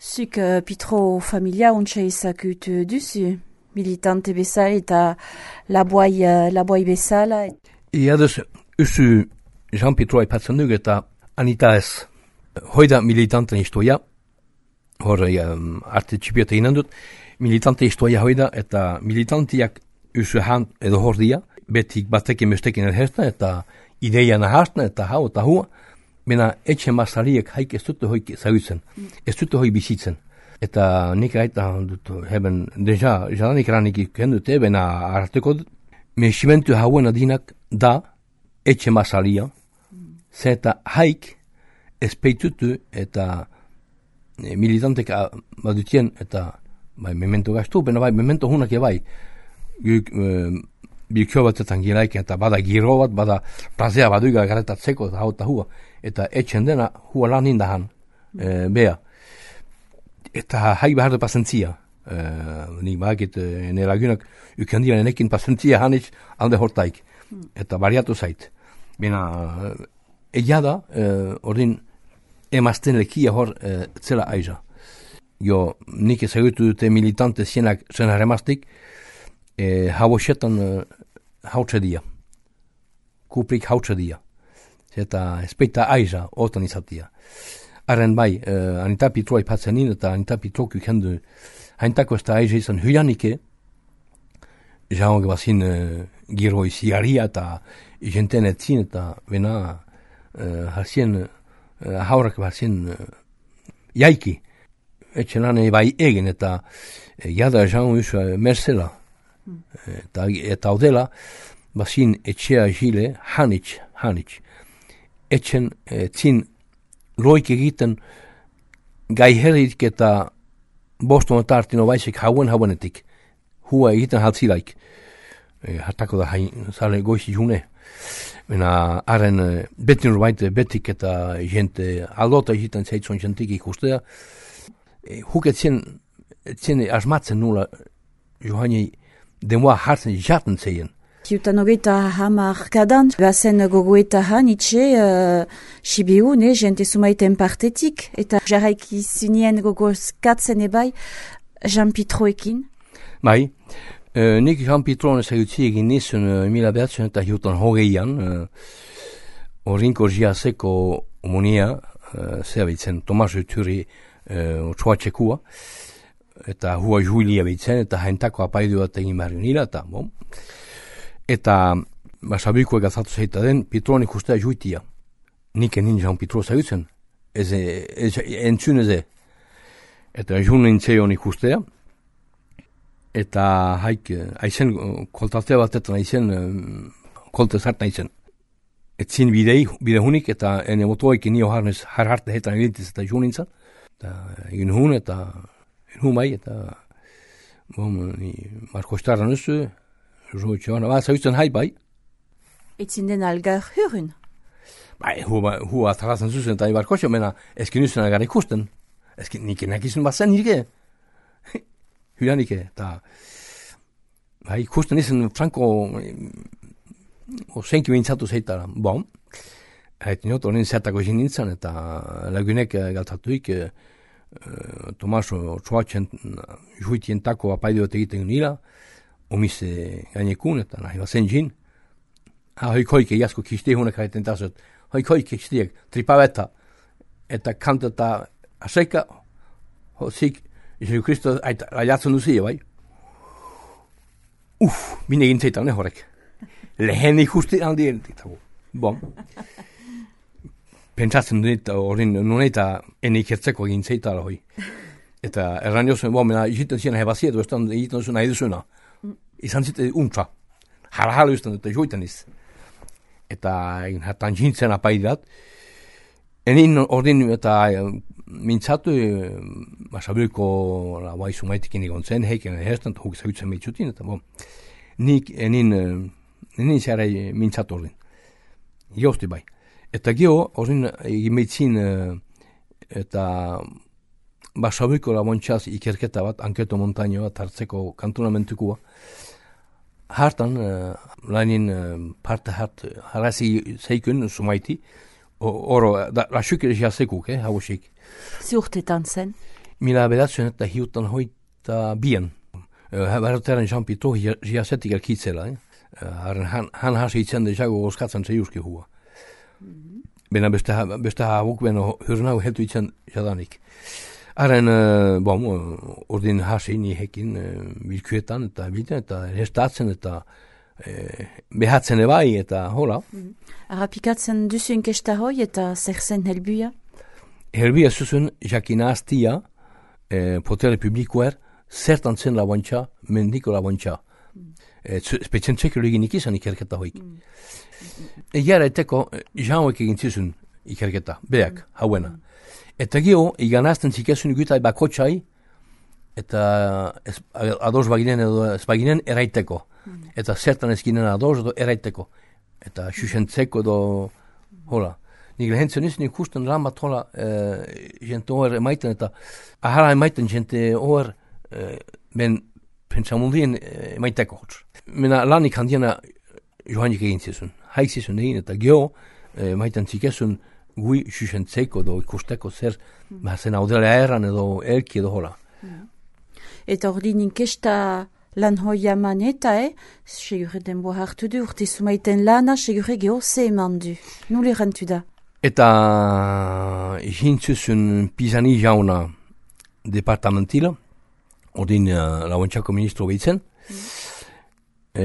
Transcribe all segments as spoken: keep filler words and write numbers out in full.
Zuk uh, pitro familia untsa izakut duzu, militante bezala eta laboai, uh, laboai bezala. Ia duz, usu Jean-Pitro aipatzen duk eta Anita ez. Hoida militanten istoia, hor um, arte txipiota inan dut, militante istoia hoida eta militantiak usu han edo hor dia, betik batekin bestekin erhertan eta ideia nahartan eta hau eta hua, mena etxe masariek haik ez dute hoi zagutzen, ez dute hoi bizitzen. Eta nik aita dut, heben, deja, jalanik ranik ikendut, ebena arteko dut, meximentu hauen adinak da etxe masaria, zeta haik espeitutu eta e, militantek badutien eta bai, memento gastu, bena bai, memento hunak bai, guk, e, bilkio batetan gilaik eta bada giro bat, bada plazea baduiga garetatzeko eta hau eta hua, eta etxen dena hua lan indahan, e, bea. Eta hai behar da pasentzia, e, nik bakit e, nera gynak ukendian enekin pasentzia hanitz alde hortaik, eta bariatu zait. Bena, egia da, e, ordin emazten lekia hor e, zela aiza. Jo, nik ezagutu dute militante zienak zenar emaztik, e, hau xetan e, hautsa dia. Kuprik hautsa dia. Eta espeita aiza otan izatia. Arren bai, uh, Anita Pitro aipatzen nien eta Anita Pitro kukendu haintako ez da aiza izan huianike, jaun bazin uh, giro izigaria eta jenten etzin eta bena uh, hasien uh, haurak bazin uh, jaiki. Etxenane bai egin eta uh, jada jaun usu uh, merzela. Mm. Eta, eta odela bazin etxea jile hanitz, hanitz. Etxen uh, zin loik egiten gai herrik eta boston eta artino baizik hauen hauenetik. Hua egiten haltzilaik. E, hartako da hain zale goizi june. Mena haren e, betin rubaite betik eta jente aldota egiten zeitzon jentik ikustea. E, huk etzien, etzien asmatzen nula johani demoa hartzen jaten zeien. Kiutan hogeita hamar kadan, bazen gogoeta hanitxe, uh, sibiu, ne, jente sumaiten partetik, eta jarraiki zinien gogozkatzen ebai Jean-Pitroekin. Bai, uh, nik Jean-Pitroen ezagutzi egin nizun uh, mila behatzen eta hiutan hogeian, uh, orinko jiazeko omonia, uh, zehabitzen, Tomas Uturi uh, txuatxekua, eta hua juilia bitzen, eta haintako apaidu bat egin behar nila, eta bon. Eta basabikoek azatu zeita den, Pitroan ikustea juitia. Nik enin Jean Pitro zagutzen, ez entzun eze. Eta jun nintzeon ikustea, eta haik, aizen koltatea batetan aizen, kolte zartan aizen. Etzin bidei, bide hunik, eta ene motoik nio harnez, har harte hetan elintiz eta jun nintzen. Eta egin hun, eta egin hun bai, eta bom, ni Marko Starra nuzu, Joan, ba, zautzen hai bai. Etzin den algar hurun? Bai, hua, hua atarazen zuzen eta ibarkotxo, mena, eskin usen algar ikusten. Eskin nik enakizun bazen nirke. Hulanike, eta bai, ikusten izen franko osenki bintzatu zeitara. Bon, haet niot, horren zertako izin nintzen, eta lagunek galtatuik uh, Tomaso txuatxen juitien tako apaideot egiten nila, omise gainekun, eta nahi bazen jin. Ha, hoik hoike jasko kiste hunek haiten tasot. Hoik hoike kistiek, tripaveta. Eta kanta eta aseka, hosik, Jesu Kristo, aiatzen duzia, bai. Uff, bine egin zeitan, ne horrek. Lehen ikusti handi egin. Bon. Pentsatzen dut, horren, nuneta, ene ikertzeko egin zeitala hoi. Eta erran jozen, bo, mena, iziten ziren hebaziet, oestan egiten zuen nahi duzuna. Izan zite untza. Jara-jala usten dute joitan iz. Eta egin hartan jintzen apaidat. Enin ordin eta mintzatu basabuko bai sumaitikin egon zen, heiken herstan, huk zagutzen behitzutin, eta bo, nik enin, enin zara mintzatu ordin. Jozti bai. Eta geho, ordin egin behitzin eta basabuko labontxaz ikerketa bat, anketo montaño bat hartzeko kantonamentukua. Hartan, uh, lainin uh, parte hart, harazi zeikun, sumaiti, oro, da, lasuk egia zekuk, eh, hauxik. Zurtetan zen? mila bedatzen eta hiutan hoita bien. Berotaren Jean Pitro jiazetik elkitzela. Eh? Han, han hasi itzen de jago goskatzen zeiuski hua. Mm-hmm. Bena beste, beste habuk beno hurnau heltu itzen jadanik. Haren, uh, bon, ordin hasi ni hekin uh, bilkuetan eta bilten eta restatzen eta uh, behatzen ebai eta hola. Mm-hmm. Arapikatzen duzu inkesta hoi eta zer zen helbuia? Helbuia zuzun jakinaztia uh, potere publikoer zertan zen labontxa, mendiko labontxa. Mm. E, Spetzen txekero egin ikizan ikerketa hoik. Mm. Egiara eteko, jauek egin zizun ikerketa, beak, mm. hauena. Mm. Eta geho, iganazten zikezun gutai bakotxai, eta ez, ados baginen edo ez baginen eraiteko. Mm. Eta zertan ezkinen ados edo eraiteko. Eta xuxentzeko edo, hola. Nik lehentzen izan ikusten ramat hola, e, jente hor emaiten eta ahara emaiten jente hor e, ben pentsamundien e, emaiteko hotz. Mena lanik handiena johanik egin zizun. Haik zizun egin eta geho e, maiten zikezun gui xuxentzeko edo ikusteko zer mm. bazen audela erran edo elki edo hola. Mm. Eta hori ninkesta lan hoia maneta, eh? Segure denbo hartu du, urte sumaiten lana, segure geho ze eman du. Nule rentu da? Eta jintzuzun pizani jauna departamentila, ordin uh, lauentxako ministro behitzen, mm. e,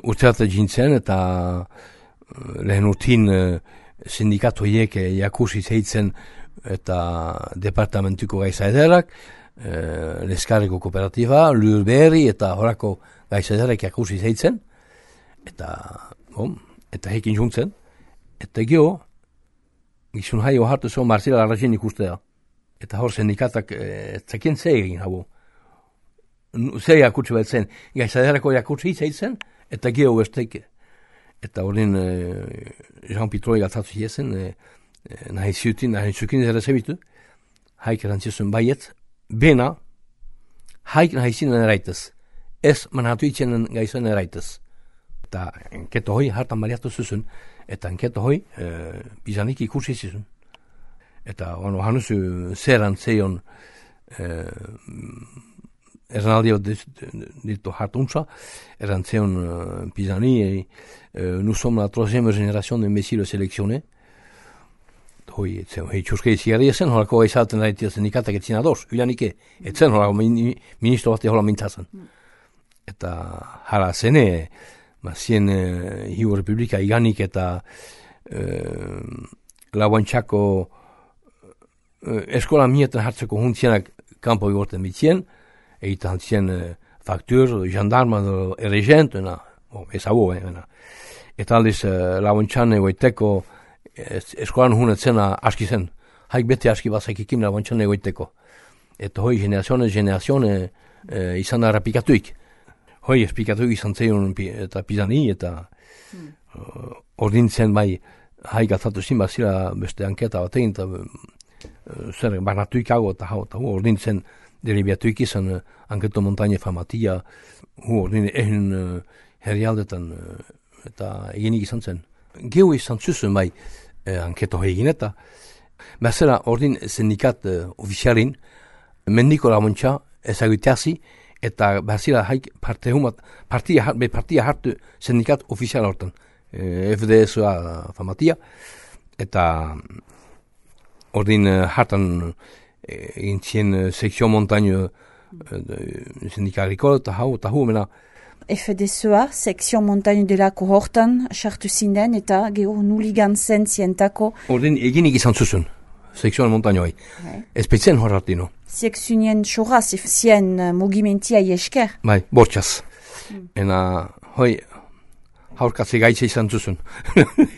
urteata jintzen eta uh, lehen urtin uh, sindikatu hiek jakusi zeitzen eta departamentuko gaiza ederak, uh, Leskarreko kooperatiba, Lur Berri eta horako gaiza ederak jakusi zeitzen, eta, bom, eta hekin juntzen, eta geho, gizun haio hartu zo Marcela Larrazien ikustea. Eta hor sindikatak e, zekien ze egin hau. Ze jakutsi bat zen. Gaizaderako jakutsi zeitzen, eta geho besteike. Eta horren e, Jean Pitroi gatzatu jezen, e, e, nahi ziutin, nahi zukin zera zebitu, haik erantzizun baiet, bena, haik nahi zinen eraitez. Ez manhatu itzenen gaizan eraitez. Eta enketo hoi hartan baliatu zuzun, eta enketo hoi e, bizanik ikusi zizun. Eta ono, hanuzu zeran zeion e, eranaldio ditu hartuntza, eran zeion e, bizani, e, e, nous sommes la troisième génération d'imbéciles sélectionnés. Hoi, etzen, hoi txuskei zigarri ezen, horako gaizaten daitia sindikatak etzin ados, hilanike, etzen horako ministro bate hola mintzazen. Eta hala zene, ba, zien e, hiu republika iganik eta e, lauantxako e, eskola mietan hartzeko huntzienak kanpo igorten bitzien, egiten hantzien e, faktur, jandarma, erregent, bon, ez hau, eh, eta aldiz e, lauantxan egoiteko es, eskolan hunetzena aski zen, haik beti aski bazaik ikim lauantxan egoiteko. Eta hoi generazione, generazione e, izan da rapikatuik. Hoi, esplikatu izan zeion eta pizani, eta hmm. uh, ordintzen bai haik atzatu zin bazira beste anketa batein, eta uh, zer, barnatuik hago eta hau, eta hu ordintzen deribiatuik izan uh, anketo montañe famatia, hu ordin egin uh, herrialdetan uh, eta eginik izan zen. Geu izan zuzun bai uh, anketo egin eta, bazera ordin sindikat uh, ofizialin, mendiko lamontxa ezagiteazi, eta bazira haik parte humat, partia, be partia hartu sindikat ofizial hortan, e, F D S-a famatia, eta ordin hartan egin zien sekzio montaño sindikariko, eta hau, eta hau, mena. F D S-a, sekzio montaño delako hortan, sartu zinden, eta geho nuligan zen zientako. Ordin eginik izan zuzun, sekzio montañoi. Okay. Espetzen horratino. Sekzionien xoraz, zien mugimentia esker. Bai, bortxaz. Mm. Ena, hoi, haurkatze gaitze izan zuzun. mm.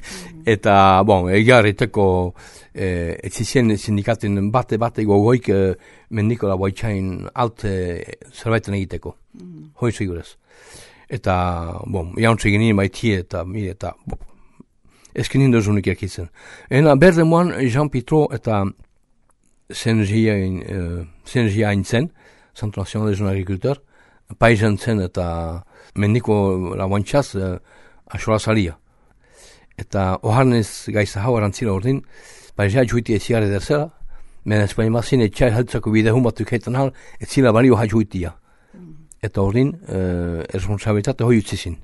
Eta, bon, egar eteko, eh, etzizien sindikaten bate-bate gogoik eh, mendiko da boitxain alte zerbaiten egiteko. Mm. Hoi segurez. Eta, bon, jauntze genien baitie eta, mire, eta, bo, eskenin dozunik ekitzen. Ena, berde moan, Jean Pitro eta Sengia hain zen, Centro Nacional de Jeune Agriculteur, paisan zen eta mendiko lauantxaz uh, asola salia. Eta oharnez gaiza hau arantzila ordin, paizea juiti eziare derzela, Menen ez baina mazin, etxai haltzako bide humatuk heitan hal, ez zila balio haitxuitia. Eta horrin, uh, erresponsabilitate hoi utzizin.